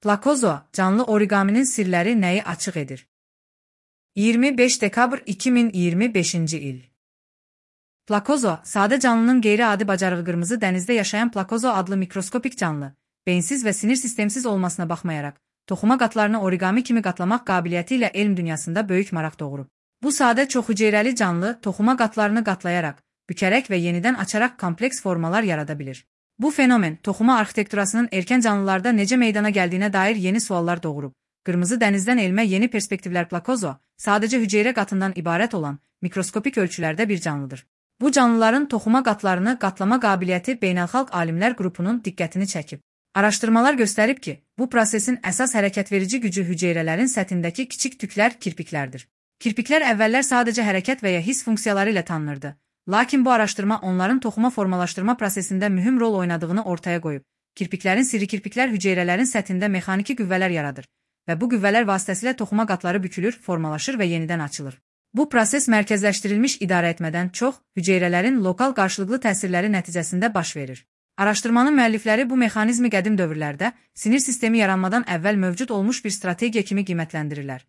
Plakozo, canlı oriqaminin sirləri nəyi açıq edir? 25 dekabr 2025-ci il. Plakozo, sadə canlının qeyri-adi bacarığı qırmızı dənizdə yaşayan plakozo adlı mikroskopik canlı, beyinsiz və sinir sistemsiz olmasına baxmayaraq, toxuma qatlarını oriqami kimi qatlamaq qabiliyyəti ilə elm dünyasında böyük maraq doğurub. Bu sadə çoxhüceyrəli canlı toxuma qatlarını qatlayaraq, bükərək və yenidən açaraq kompleks formalar yarada bilir. Bu fenomen, toxuma arxitekturasının erkən canlılarda necə meydana gəldiyinə dair yeni suallar doğurub. Qırmızı dənizdən elmə yeni perspektivlər. Plakozo, sadəcə hüceyrə qatından ibarət olan mikroskopik ölçülərdə bir canlıdır. Bu canlıların toxuma qatlarını qatlama qabiliyyəti beynəlxalq alimlər qrupunun diqqətini çəkib. Araşdırmalar göstərib ki, bu prosesin əsas hərəkətverici gücü hüceyrələrin səthindəki kiçik tüklər, kirpiklərdir. Kirpiklər əvvəllər sadəcə hərəkət və ya hiss funksiyaları ilə tanınırdı. Lakin bu araşdırma onların toxuma formalaşdırma prosesində mühüm rol oynadığını ortaya qoyub. Kirpiklərin sirri kirpiklər hüceyrələrin səthində mexaniki qüvvələr yaradır və bu qüvvələr vasitəsilə toxuma qatları bükülür, formalaşır və yenidən açılır. Bu proses mərkəzləşdirilmiş idarəetmədən çox hüceyrələrin lokal qarşılıqlı təsirləri nəticəsində baş verir. Araşdırmanın müəllifləri bu mexanizmi qədim dövrlərdə sinir sistemi yaranmadan əvvəl mövcud olmuş bir strategiya kimi qiymətləndirirlər.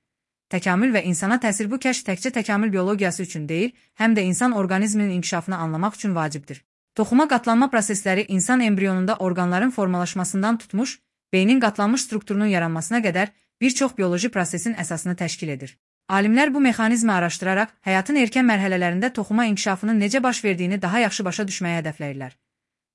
Təkamül və insana təsir. Bu kəşf təkcə təkamül biologiyası üçün deyil, həm də insan orqanizminin inkişafını anlamaq üçün vacibdir. Toxuma qatlanma prosesləri insan embrionunda orqanların formalaşmasından tutmuş, beynin qatlanmış strukturunun yaranmasına qədər bir çox bioloji prosesin əsasını təşkil edir. Alimlər bu mexanizmi araşdıraraq, həyatın erkən mərhələlərində toxuma inkişafının necə baş verdiyini daha yaxşı başa düşməyə hədəfləyirlər.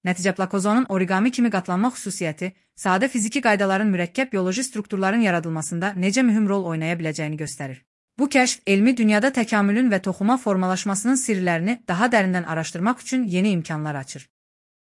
Nəticə plakozonun oriqami kimi qatlanma xüsusiyyəti, sadə fiziki qaydaların mürəkkəb bioloji strukturların yaradılmasında necə mühüm rol oynaya biləcəyini göstərir. Bu kəşf, elmi dünyada təkamülün və toxuma formalaşmasının sirlərini daha dərindən araşdırmaq üçün yeni imkanlar açır.